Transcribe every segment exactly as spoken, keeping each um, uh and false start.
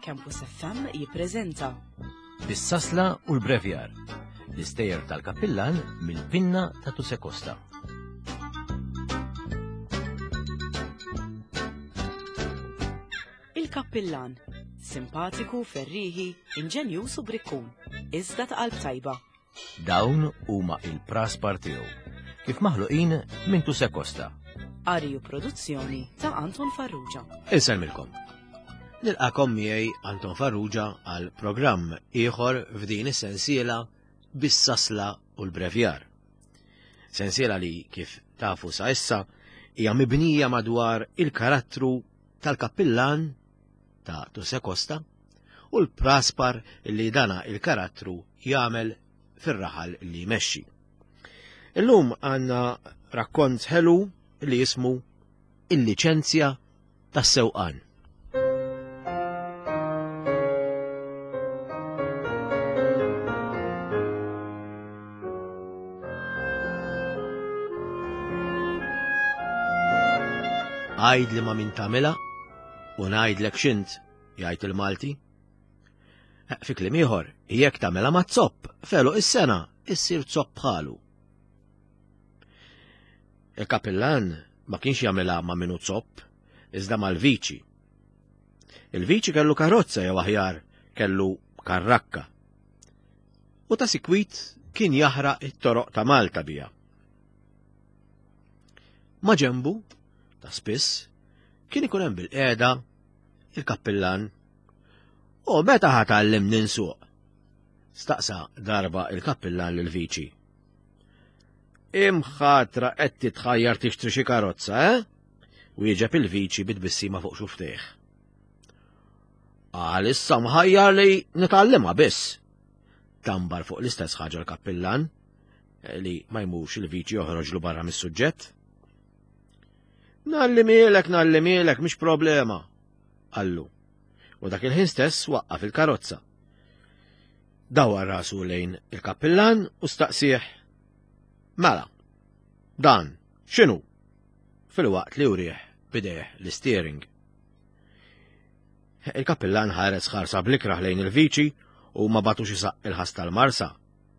Campus F M jippreżenta Bis-sasla u l-brevjar, l-istejjer tal-kappillan mill-pinna ta' Tuse Costa. Il-kappillan, simpatiku, ferriħi, inġenjuż u brikkun, iżda ta' qalb tajba. Dawn huma il-praspar tiegħu, kif maħluqin minn Tuse Costa. Qari u produzzjoni ta' Anton Farrugia. Insellmilkom. Nilqakom miegħi Anton Farrugia għal programm ieħor f'din is-sensiela bis-sasla u l-brevjar. Sensiela li kif tafu sa issa hija mibnija madwar il-karattru tal-kappillan ta' Tuse Costa u l-praspar li dana il-karattru jagħmel fir-raħal li jmexxi. Illum għandna rakkont ħelu li jismu Il-liċenzja tas-sewqan. Għajd li ma min tagħmilha u ngħidlek x'int, jgħid il-Malti. Fi kliem ieħor, jekk tagħmilha ma' zopp, felu is-sena issir zopp bħalu. Il-kappillan ma kienx jagħmilha ma' minu zopp, iżda mal-viċi. Il-viċi kellu karozza jew aħjar kellu karrakka. U ta' sikwit kien jaħraq it-toroq ta' Malta biha. Ma' ġembu, ta' spiss, kien ikun hemm bil-qiegħda il-kappillan. U meta ħa tgħallimni nsuq? Staqsa darba il-kappillan lill-viċi. Imħatra qed titħajjar tixtri xi karozza, eh? Wieġeb il-viċi bit-tbissima fuq xuftejh. Għal issa mħajjar li nitgħallimha biss. Tambar fuq l-istess ħaġa l-kappillan, li ma jmurx il-viċi joħroġlu barra mis-suġġett. Nallimilek, nallimilek, mhix problema, qallu. U dak il-ħin stess waqqaf il-karozza. Dawar rasu lejn il-kappillan u staqsih. Mela, dan, x'inhu? Fil-waqt li urih bidejh l-steering. Il-kappillan ħares ħarsa blikraħ lejn il-viċi u ma batux isaq il-ħas tal-marsa,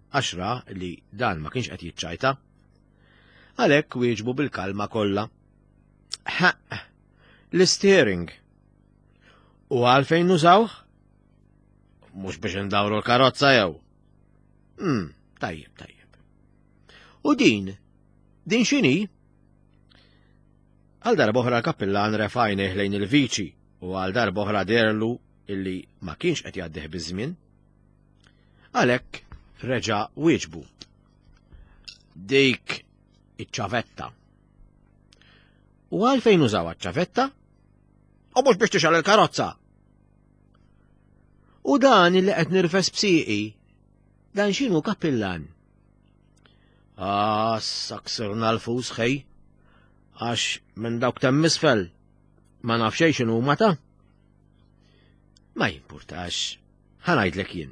għax ra li dan ma kienx qed jiċċajta. Għalhekk wieġbu bil-kalma kollha. Ħaq, l-steering. U għalfejn nużawh? Mhux biex indawru l-karozza jew. Hmm, tajjeb, tajjeb. U din, din x'inhi? Għal darba oħra l-kappillan refa' għajnejh lejn il-viċi u għal darba oħra derlu illi ma kienx qed jgħaddih biż-żmien. Għalhekk reġa' wieġbu. Dik iċ-ċavetta. U għalfejn użaw iċ-ċavetta? U mhux biex tixgħal il-karozza. U dan illi qed nirfes b'sieqi, dan x'inhu kappillan? Ah, saksirna l-fus ħej, għax minn dawk temm isfel ma naf xejn x'inhu huma ta'. Ma jimpurtax, ħa ngħidlek jien.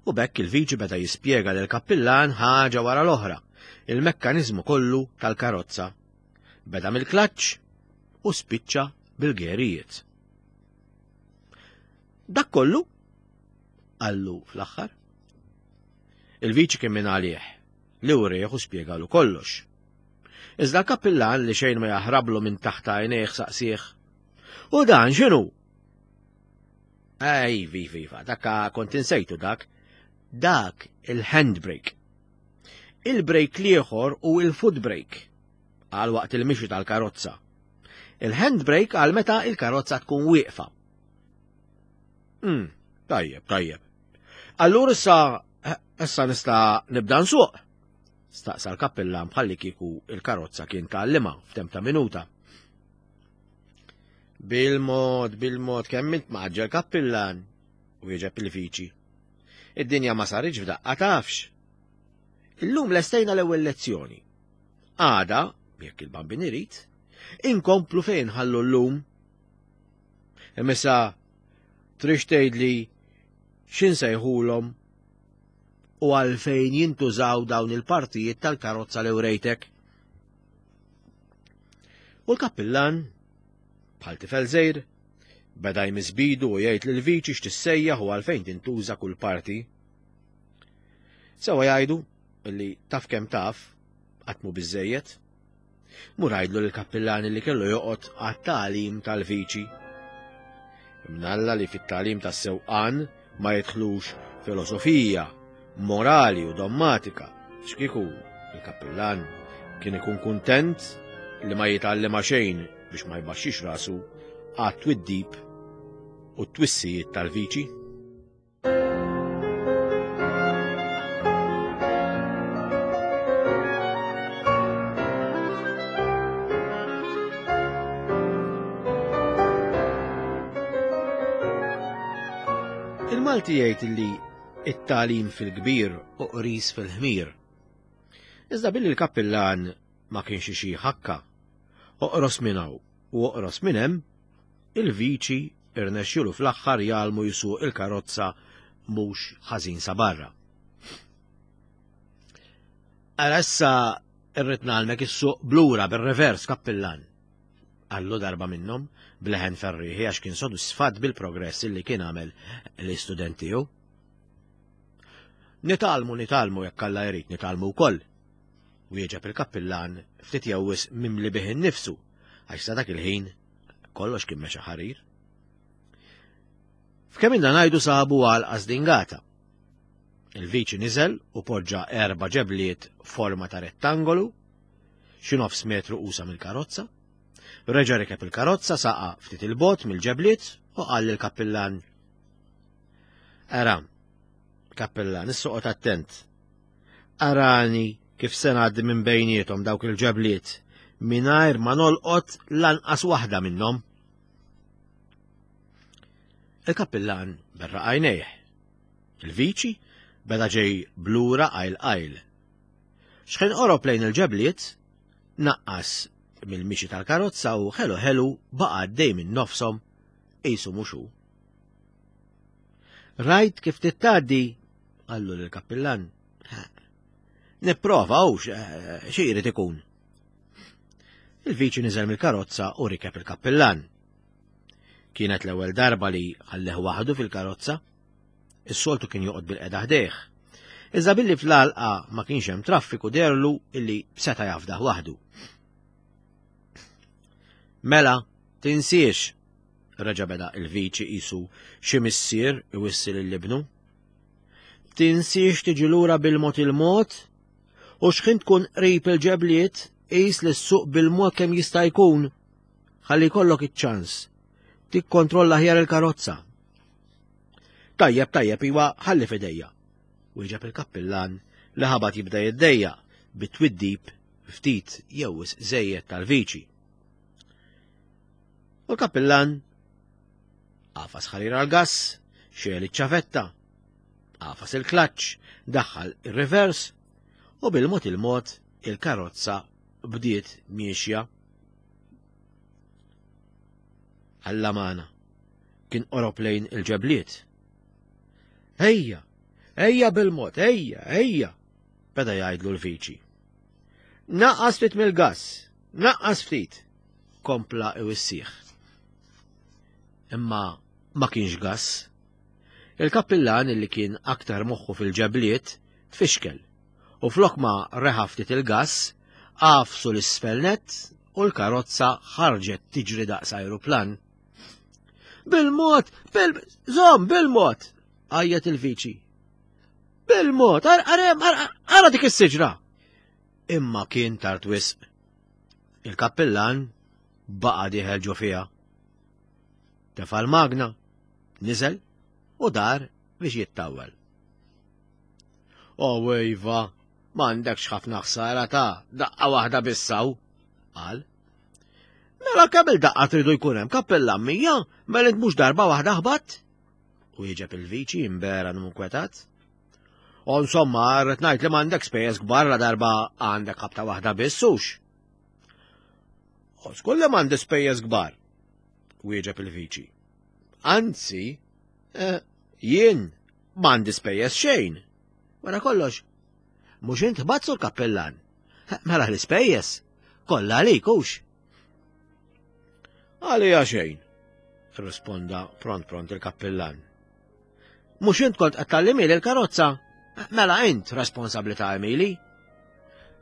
U b'hekk il-viċi beda jispjega lil kappillan ħaġa wara l-oħra, il-mekkaniżmu kollu tal-karozza. Beda mill-klaċċ u spiċċa bil-gerijiet. Dak kollu? Qallu fl-aħħar. Il-viċi kien minn għalih, li urieħ u spjegalu kollox. Iżda l-kappillan li xejn ma jaħrablu minn taħt għajnejh saqsih. U dan x'inhu? Ej, viva, viva, dakka kont insejtu dak. Dak il-handbrake. Il-brake l-ieħor u il-foot brake għal waqt il-mixi tal-karozza. Il-handbrake għal meta il-karozza tkun wieqfa. Hmm, tajjeb, tajjeb. Allura issa, issa nista' nibda nsuq. Staqsa l-kappillan bħalli kieku il-karozza kien tgħallimha f'temp ta' minuta. Bil-mod, bil-mod, kemm int maġġel kappillan, wieġeb il-viċi. Id-dinja ma saritx f'daqqa tafx. Illum lestejna l-ewwel lezzjoni. Għada, jekk il-Bambin irid, inkomplu fejn ħallu llum. Imma trix tgħidli x'insejħulhom u għalfejn jintużaw dawn il-partijiet tal-karozza li wrejtek. U l-kappillan, bħal tifel żgħir, Beda jmiss b'idu u jgħid lill-viċi x'tissejjaħ u għalfejn tintuża kull parti. Sewa jgħidu li taf kemm taf, qatt mhu biżejjed. Mur għidlu lill-kappillan li kellu joqgħod għat-tagħlim tal-viċi. Imnalla li fit-tagħlim tas-sewqan ma jidħlux filosofija, morali u dommatika, x'kieku il-kappillan kien ikun kuntent li ma jitgħallem xejn biex ma jbaxxix rasu għat-twiddib u t-twissijiet tal-viċi. Il-Malti jgħid li it-tagħlim fil-kbir u qris fil-ħmir. Iżda billi l-kappillan ma kienx xi ħakka, oqros minn hawn u oqros minn hemm, il-viċi irnexxielu fl-aħħar jgħallmu jsuq il-karozza mhux ħażin sa barra. Ara issa irrid ngħallmek issuq blura bir-revers, kappillan, qallu darba minnhom bleħen ferrieħi għax kien sodisfatt bil-progress li kien għamel l-istudent tiegħu. Nitgħallmu, nitgħallmu jekk Alla jrid nitgħallmu wkoll, wieġeb il-kappillan ftit jew wisq mimli bih innifsu għax sa dak il-ħin kollox kien mexa ħarir. F'kemm ilna ngħidu sabu għal żdingata. Il-viċi niżel u poġġa erba' ġebliet forma ta' rettangolu, xi nofs metru qusa mill-karozza. Reġa' rikeb il-karozza, saqa ftit il-bot mill-ġebliet u qal lill-kappillan: Ara, kappillan, issoqgħod attent. Arani kif se ngħaddi minn bejniethom dawk il-ġebliet mingħajr ma nolqot lanqas waħda minnhom. Il-kappillan berraq għajnejh. Il-viċi beda ġej blura qajl qajl. Xħin qorob lejn il-ġebliet, naqqas mill-mixi tal-karozza u ħelu ħelu baqa' għaddej minn nofshom qisu mhux hu. Rajt kif tittgħaddi, qallu lill-kappillan. Nipprova hux xi jrid ikun. Il-viċi niżel mill-karozza u rikeb il-kappillan. Kienet l-ewwel darba li ħalleh waħdu fil-karozza. Is-soltu kien joqgħod bil-qeda ħdejh. Iżda billi fl-għalqa ma kienx hemm traffiku derlu illi seta' jafdah waħdu. Mela, tinsiex, reġa' beda il-viċi qisu xi missier iwissi lil ibnu. Tinsiex tiġi lura bil-mod il-mod u x'ħin tkun qrib il-ġebliet qis li ssuq bil-mod kemm jista' jkun ħalli jkollok iċ-ċans tikkontrolla aħjar il-karozza. Tajjeb, tajjeb, iwa, ħalli f'idejja, wieġeb il-kappillan li ħabat jibda jiddejjaq bit-twiddib ftit jew wisq żejjed tal-viċi. U l-kappillan għafas ħarir għall-gass, xegħel iċ-ċavetta, għafas il-klaċċ, daħħal ir-rivers u bil-mod il-mod il-karozza bdiet miexja. Alla magħna, kien qorob lejn il-ġebliet. Ejja, ejja bil-mod, ejja, ejja, beda jgħidlu l-viċi. Naqqas ftit mill-gass, naqqas ftit, kompla iwissih. Imma ma kienx gass. Il-kappillan illi kien aktar moħħu fil-ġebliet tfixkel u flok ma reħa ftit il-gass, għafsu l-isfel nett u l-karozza ħarġet tiġri daqs ajruplan. Bil-mod, bil żomm, bil-mod, għajjat il-viċi. Bil-mod, arem, ara dik is-siġra. Imma kien tard wisq. Il-kappillan baqa' dieħel ġo fiha. Tefa' l-magna, niżel u dar biex jittawwel. O iva, m'għandekx ħafna ħsara ta' daqqa waħda bissaw, qal. Mela kemm il-daqqa tridu jkun hemm kappillan mija, mela int mhux darba waħda ħbatt? U jieġeb il-viċi imberan u nkwetat. U insomma, rrid ngħid li m'għandek spejjeż kbar la darba għandek ħabta waħda biss hux. U żgur li m'għandi spejjeż kbar, wieġeb il-viċi. Anzi, eh, jien m'għandi spejjeż xejn. Wara kollox, mhux int ħbatt sur kappillan. Mela l-ispejjeż kollha għalik hux. Għalija xejn, Irrisponda pront pront il-kappillan. Mhux int kont qed tgħallimhieli l-karozza? Mela int responsabbli ta' għemili.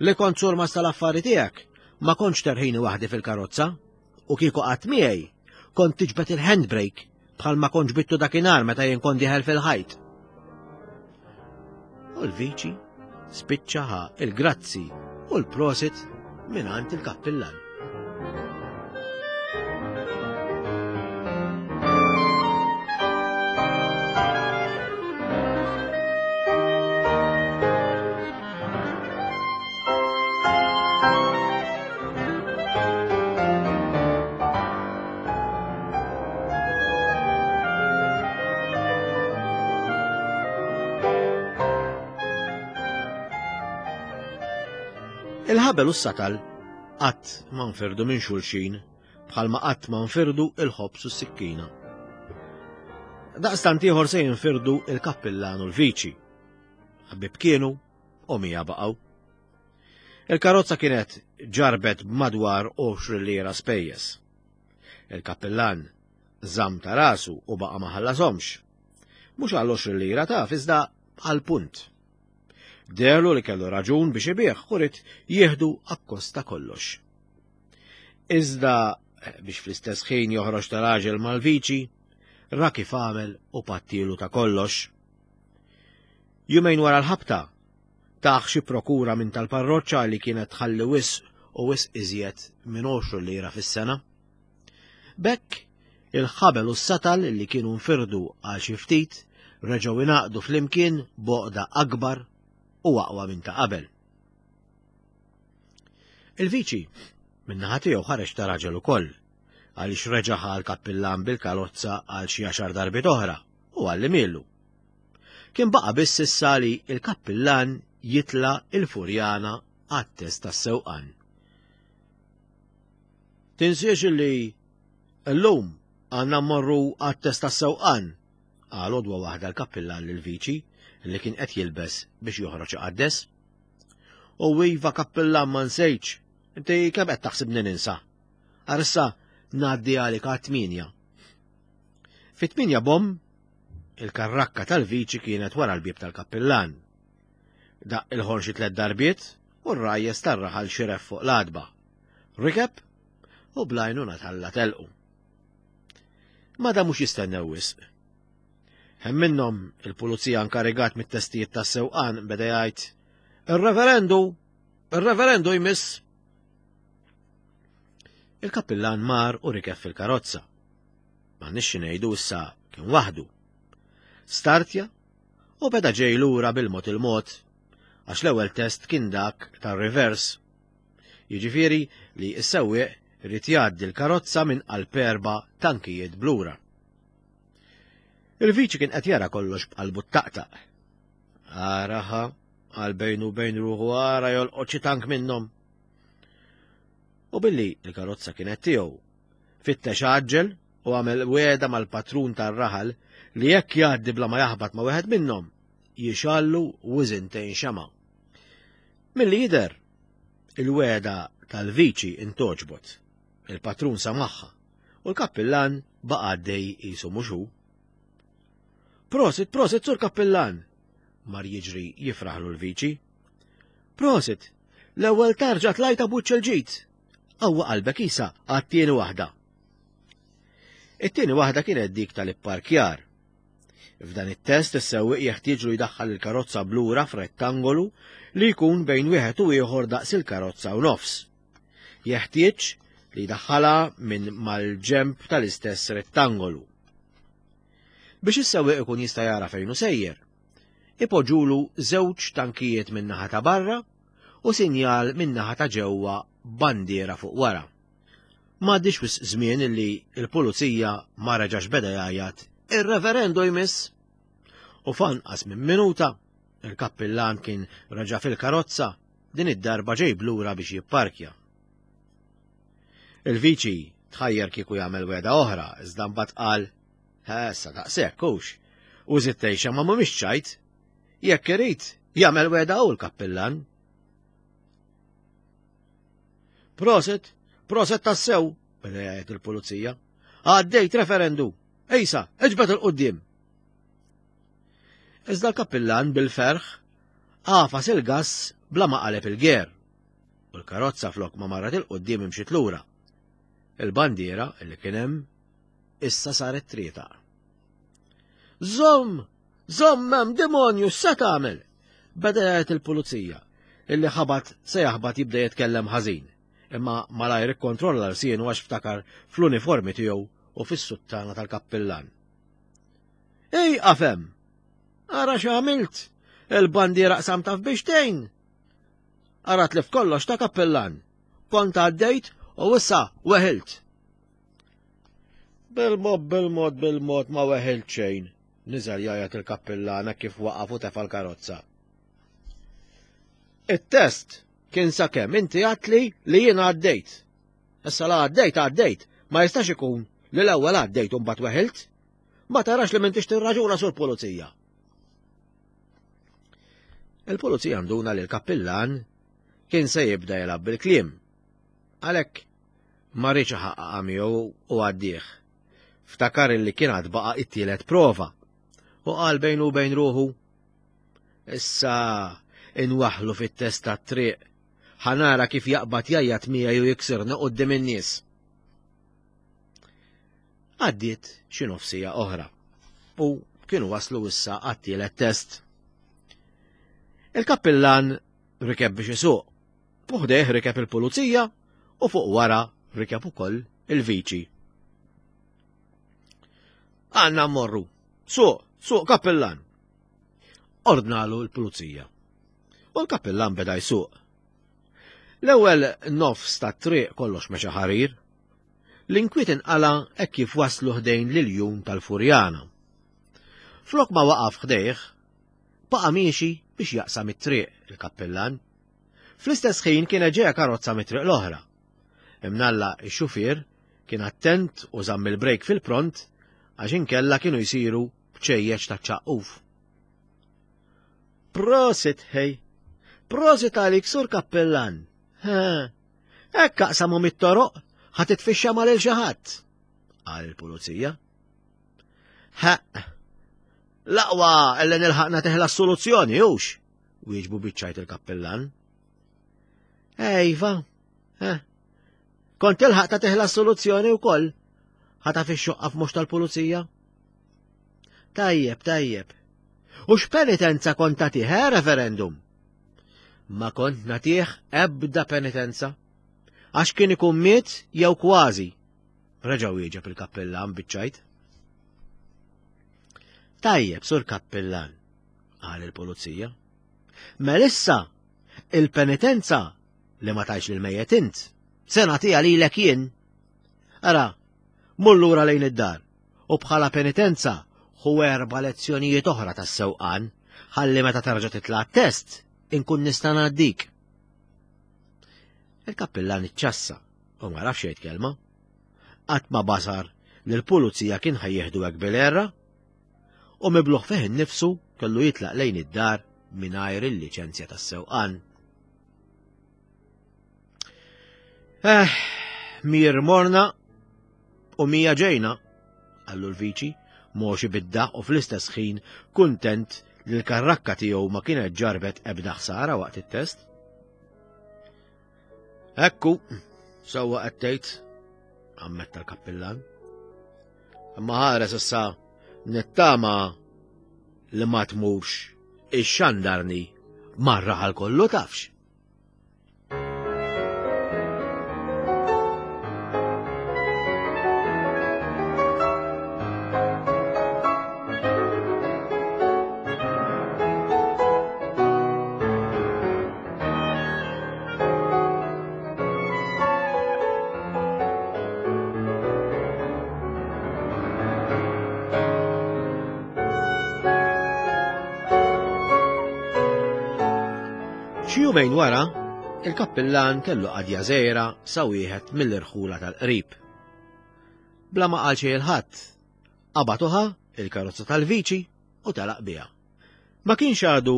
Li kont surmast tal-affari tiegħek, ma kontx terħini waħdi fil-karozza, u kieku qatt miegħi kont tiġbed il-handbrake bħal ma kont ġbidtu dakinhar meta jien kont dieħel fil-ħajt. U l-viċi spiċċa ħa il-grazzi u l-prosit mingħand il-kappillan. Il-ħabel u s-satal qatt ma nfirdu minn xulxin bħalma qatt ma nfirdu il-ħobż u s-sikkina. Daqstant ieħor se jinfirdu il-kappillan u l-viċi. Ħbieb kienu u mija baqgħu. Il-karozza kienet ġarbet b'madwar għoxrin lira spejjeż. Il-kappillan żamm ta' rasu u baqa' ma ħallasomx. Mhux għal għoxrin lira taf iżda għal punt. Derlu li kellu raġun biex ibigħ u ried jieħdu akkost ta' kollox. Iżda biex fl-istess ħin joħroġ ta' raġel mal-viċi, ra kif għamel u pattilu ta' kollox. Jumejn wara l-ħabta, taħ xi prokura minn tal-parroċċa li kienet tħalli wisq u wisq iżjed minn għoxrin lira fis-sena. B'hekk, il-ħabel u s-satal li kienu nfirdu għal xi ftit reġgħu ingħaqdu flimkien b'għoqda akbar u aqwa minn ta' qabel. Il-viċi min-naħa tiegħu ħareġ ta' raġel ukoll għaliex reġa' ħa l-kappillan bil-karozza għal xi għaxar darbiet oħra u għallimielu. Kien baqa' biss issa li l-kappillan jitla' il-Furjana għat-test tas-sewqan. Tinsiex li llum għandna mmorru għat-test tas-sewqan, qal għodwa waħda l-kappillan lill-viċi li kien qed jilbes biex joħroġ iqaddes. U iva kappillan ma nsejtx, inti kemm qed taħsibni ninsa? Arissa ngħaddi għalik għat-tminja. Fit-tminja bom, il-karrakka tal-viċi kienet wara l-bieb tal-kappillan. Daq il-ħorn xi tliet darbiet u r-rajjes tar-raħal xiref fuq l-għadba. Rikeb u blajnuna tħalla telqu. Ma damux jistennew wisq. Hemm minnhom il-pulizija inkarigat mit-testijiet tas-sewqan beda jgħid Ir-reverendu, ir-reverendu jmiss. Il-kappillan mar u rikeb fil-karozza. Ma nixxi ngħidu issa kien waħdu. Startja u beda ġej lura bil-mod il-mod għax l-ewwel test kien dak tar-reverse. Jiġifieri li s-sewwieq irid jgħaddi l-karozza minn qalb erba' tankijiet blura. Il-viċi kien qed jara kollox b'qalbu ttaqtaq. Araha, għal bejnu bejn ruħu ara jolqot xi tank minnhom. U billi l-karozza kienet tiegħu, fittex għaġġel u għamel wegħda mal-patrun tar-raħal li jekk jgħaddi bla ma jaħbat ma' wieħed minnhom, jixallu wiżintejn xama. Milli jidher, il-wegħda tal-viċi intoġbot, il-patrun samaħħa u l-kappillan baqa' għaddej qisu mhux hu. Prosit, prosit, sur kappillan! Mar jiġri jifraħlu l-viċi. Prosit, l-ewwel tarġa tlajta b'wiċċ il-ġid. Qawwa qalbek isa għat-tieni waħda. It-tieni waħda kienet dik tal-ipparkjar. F'dan it-test is-sewwieq jeħtieġlu jdaħħal il-karozza blura f'rettangolu li jkun bejn wieħed u ieħor daqs il-karozza u nofs. Jeħtieġ li jdaħħalha minn mal-ġemp tal-istess rettangolu. Biex is-sewwieq ikun jista' jara fejn hu sejjer, ipoġġulu żewġ tankijiet min-naħa ta' barra u sinjal min-naħa ta' ġewwa bandiera fuq wara. M'għaddix wisq żmien illi l-pulizija ma reġax beda jgħajjat ir-reverendu jmiss. U f'anqas minn minuta il-kappillan kien reġa' fil-karozza din id-darba ġej blura biex jipparkja. Il-viċi tħajjar kieku jagħmel wegħda oħra, iżda mbagħad qal issa daqshekk hux. U żied tgħixha ma mhumiex ċajt. Jekk irid jagħmel wegħda hu l-kappillan. Prosit, prosit tassew, beda jgħid il-pulizija. Għaddejt, referendu! Ejsa, iġbed 'il quddiem! Iżda l-kappillan bil-ferħ għafas il-gass bla ma qaleb il-ger. U l-karozza flok ma marret 'il quddiem imxiet lura. Il-bandiera illi kien hemm issa saret trieta. Żomm! Żomm hemm demonju, x'se tagħmel? Beda jgħid il-pulizija illi ħabat se jaħbat jibda jitkellem ħażin, imma malajr ikkontrolla lsienu għax ftakar fl-uniformi tiegħu u fis-suttana tal-kappillan. Ej, qafem! Ara x'għamilt! Il-bandiera qsamtha f'biċċtejn! Ara tlift kollox ta' kappillan. Kont għaddejt u issa weħilt. Bil-mod, bil-mod, bil-mod ma weħilt xejn, niżel jgħajjat il-kappillan hekk kif waqaf u tefa' l-karozza. It-test kien sakemm inti għedtli li jiena għaddejt. Issa la għaddejt, għaddejt, ma jistax ikun li l-ewwel għaddejt u mbagħad weħilt. Ma tarax li m'intix tirraġuna sur pulizija. Il-pulizija nduna li l-kappillan kien se jibda jilgħab bil-kliem. Għalhekk ma riedx iħaqqaqha miegħu u għaddih. Ftakar li kien għad baqa' it-tielet prova u qal bejnu u bejn ruħu: Issa inwaħħlu fit-test tat-triq, ħa nara kif jaqbad jgħajjat miegħi u jiksirna quddiem in-nies. Għaddiet xi nofsija oħra u kienu waslu issa għat-tielet test. Il-kappillan rikeb biex isuq, u ħdejh rikeb il-pulizija u fuq wara rikeb ukoll il-viċi. Għandna mmorru, suq, suq kappillan. Ordnalu l-pulizija. U l-kappillan beda jsuq. L-ewwel nofs tat-triq kollox mexa ħarir. L-inkwiet inqala hekk kif waslu ħdejn l-iljun tal-Furjana. Flok ma waqaf ħdejh, baqa' miexi biex jaqsam it-triq il-kappillan. Fl-istess ħin kienet ġejja karozza mit-triq l-oħra. Imnalla x-xufier kien attent u żamm il-brejk fil-pront għax inkella kienu jsiru bċejjeċ ta' ċaqquf. Prosit ħej, prosit għalik sur kappillan. Hekk aqsamu mit-toroq, ħa titfixxa ma' lil xi ħadd, qal il-pulizija. Ħa, l-aqwa illi nilħaqna teħla s-soluzzjoni, hux, wieġbu biċ-ċajt il-kappillan. Ejva, eh, kont tilħaq ta' teħla s-soluzzjoni wkoll, ħa taf ix-xoqqa f'mhux tal-pulizija. Tajjeb, tajjeb. U x'penitenza kont tagħtih, eh, referendum? Ma kont nagħtih ebda penitenza, għax kien ikun miet jew kważi. Reġa' wieġeb il-kappillan biċ-ċajt. Tajjeb, sur kappillan, qal il-pulizija. Melissa, il-penitenza li ma tajx lil mejjet int, se nagħtiha lilek jien. Ara, mur lura lejn id-dar u bħala penitenza ħu erba' lezzjonijiet oħra tas-sewqan, ħalli meta terġa' titla' t-test inkun nista' ngħaddik. Il-kappillan iċċassa u ma rafx jgħid kelma. Qatt ma basar li l-pulizija kien ħajjeħdu hekk bil-erra u mibluħ fih innifsu kellu jitlaq lejn id-dar mingħajr il-liċenzja tas-sewqan. Eh, mir morna u mija ġejna, qallu l-viċi, moxi bid-daq u fl-istess ħin kuntent li l-karrakka tiegħu ma kienet ġarbet ebda ħsara waqt it-test. Ekku, sewwa qed tgħid, ammetta l-kappillan. Imma ħares issa nittama li ma tmurx ix-xandarni marra għal kollu tafx. Xi jumejn wara, il-kappillan kellu qadja żgħira sa wieħed mill-irħula tal-qrib. Bla ma qal xejn il-ħadd, qabad uħa il-karozza tal-viċi u telaq biha. Ma kienx għadu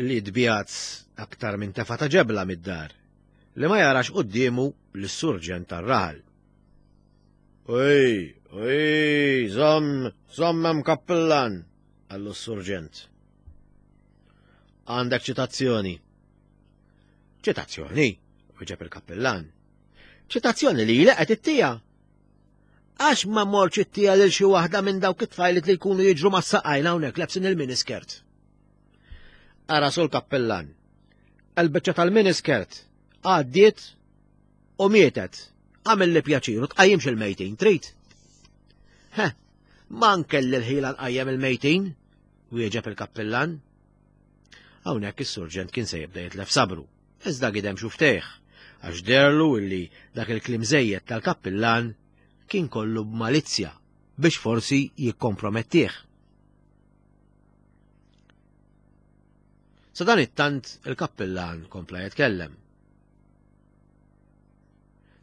li tbiegħed aktar minn tefa ta' ġebla mid-dar, li ma jarax quddiemu lis-surġent tar-raħal. Ej, Ej, żomm, żomm hemm kappillan, qallu s-surġent. Għandek ċitazzjoni. Ċitazzjoni, wieġeb il-kappillan. Ċitazzjoni li qed ittija. Għax ma mortx ittija lil xi waħda minn dawk it-tfajliet li jkunu jiġru mas-saqajn hawnhekk lebsin il-miniskirt. Ara sul kappillan. Il-biċċa tal-miniskirt għaddiet u mietet. Għamil li pjaċir u tqajjimx il-mejtin, trid? Heh, ma nkelli l-ħila nqajjem il-mejtin, wieġeb il-kappillan. Hawnhekk is-surġent kien se jibda jitlef sabru, iżda gidem xuftejh, għax derlu illi dak il-kliem żejjed tal-kappillan kien kollu b'malizzja biex forsi jikkompromettih. Sa dan it-tant il-kappillan kompla jitkellem.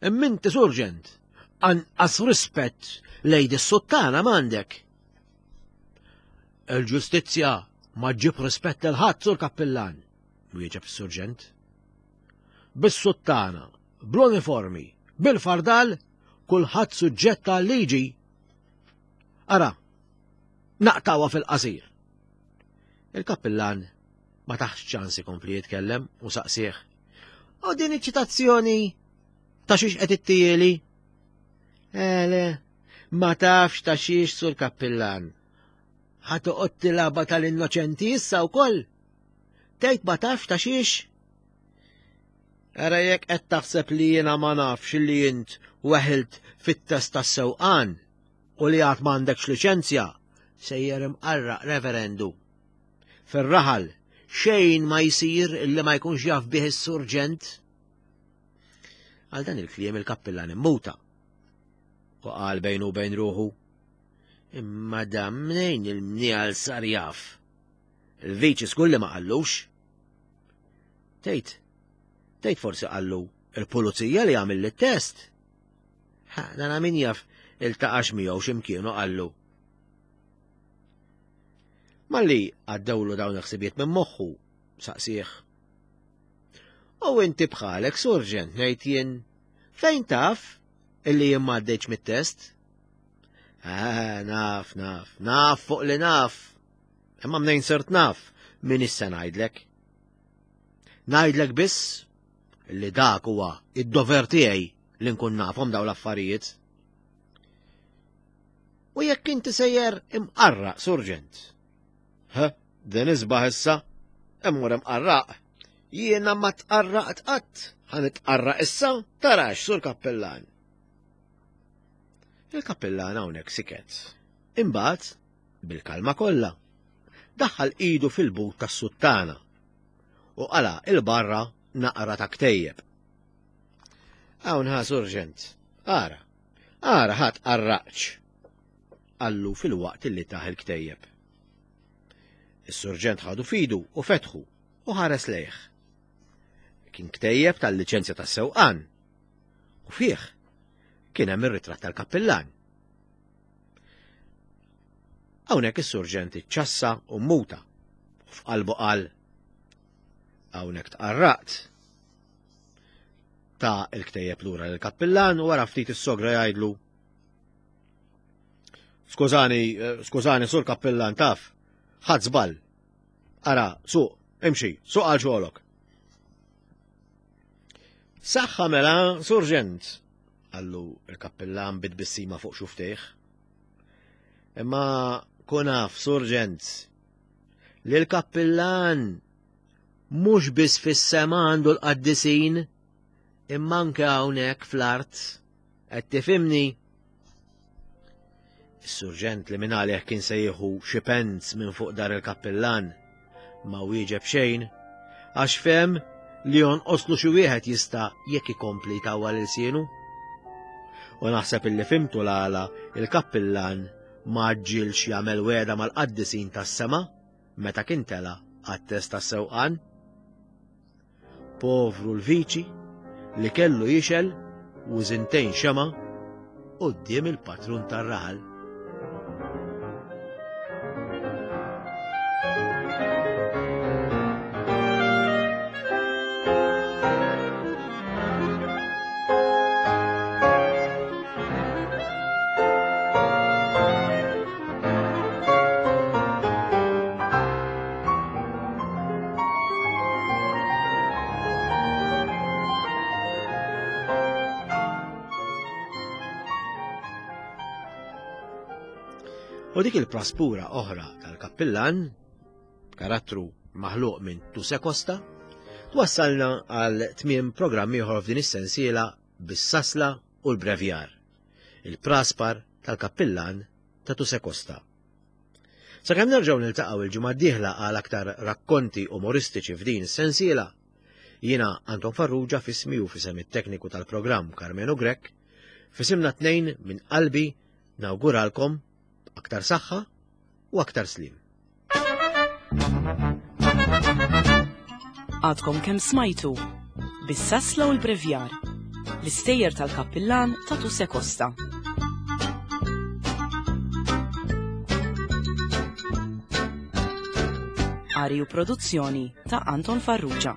Imminti surġent, anqas rispett lejn is-suttana m'għandek. Il-ġustizzja ma ġġib rispett lil ħadd, sur kappillan, wieġeb is-surġent. Bis-suttana, bl-uniformi, bil-fardal, kulħadd suġġett għal-liġi. Ara, naqtawha fil-qasir. Il-kappillan ma taħx ċans ikompli jitkellem u saqsih. U din iċ-ċitazzjoni ta' xiex qed ittieli? Ele, ma tafx ta' xiex sur kappillan. Ħa toqgħod tilgħabha tal-innoċenti issa wkoll. Tgħid ma tafx ta' xiex? Ara jekk qed taħseb li jiena ma nafx li int weħilt fit-test tas-sewqan u li għad m'għandekx liċenzja, sejjer imqarraq reverendu. Fir-raħal xejn ma jsir illi ma jkunx jaf bih is-surġent. Għal dan il-kliem il-kappillan immuta. U qal bejnu u bejn ruħu, imma dan mnejn il-mniegħal sar jaf. Il-viċi żgur li ma qallux. Tgħid, tgħid forsi qallu il-pulizija li għamil it-test. Ha, dan min jaf iltaqax miegħu x'imkien u qallu. Malli għaddewlu dawn il-ħsibiet minn moħħu, saqsih. U inti bħalek, surġent, ngħid jien, fejn taf illi jien ma għaddejtx mit-test? Ah, naf, naf, naf fuq li naf. Imma mnejn sirt naf, min issa ngħidlek. Ngħidlek biss li dak huwa id-dover tiegħi li nkun nafhom dawn l-affarijiet. U jekk inti sejjer imqarraq, surġent. Ha, din isbaħ issa, immur imqarraq. Jiena ma tqarraqt qatt, ħa nitqarraq issa, tarax, sur kappillan. Il-kappillan hawnhekk siket. Imbagħad, bil-kalma kollha, daħħal idu fil-but tas-suttana u qala il-barra naqra ta' ktejjeb. Hawn ħa surġent, ara, ara ħa tqarraqx, qallu fil-waqt illi taħ il-ktejjeb. Is-surġent ħadu fidu u fetħu u ħares lejh. Kien ktejjeb tal-liċenzja tas-sewqan u fih kien hemm ir-ritratt tal-kappillan. Hawnhekk is-surġent iċċassa u mmuta u f'qalbu qal hawnhekk tqarraqt. Ta' il-ktejjeb lura lill-kappillan u wara ftit is-sogra jgħidlu Skużani, skużani, sur kappillan, taf, ħadd żball. Ara, suq, imxi, suq għal xogħolok. Saħħa mela, surġent, qallu il-kappillan bit-tbissima fuq xuftejh. Imma kun af, surġent, li l-kappillan mhux biss fis-sema għandu l-qaddisin, imma anke hawnhekk fl-art. Qed tifhimni? Is-surġent li minn għalih kien se jieħu xi pens minn fuq dar il-kappillan ma wieġeb xejn, għax fehem li jonqoslu xi wieħed jista' jekk ikompli jtawwal ilsienu. U naħseb illi fimtu l-għala il-kappillan ma ġġilx jagħmel wegħda mal-qaddisin tas-sema meta kien tela' għat-test tas-sewqan. Povru l-viċi li kellu jixel wużintejn xema' quddiem il-patrun tar-raħal. U dik il-praspura oħra tal-kappillan, karattru maħluq minn Tuse Costa, twassalna għal tmiem programm ieħor f'din is-sensiela bis-sasla u l-brevjar, il-praspar tal-kappillan ta' Tuse Costa. Sakemm nerġgħu niltaqgħu il-ġimgħa d-dieħla għal aktar rakkonti umoristiċi f'din is-sensiela, jiena Anton Farrugia f'ismi u f'isem it-tekniku tal-programm Karmenu Grech, f'isimna tnejn minn qalbi nawguralkom aktar saħħa u aktar slim. Għadkom kemm smajtu bis-sasla u l-brevjar, l-istejjer tal-kappillan ta' Tuse Costa. Qari u produzzjoni ta' Anton Farrugia.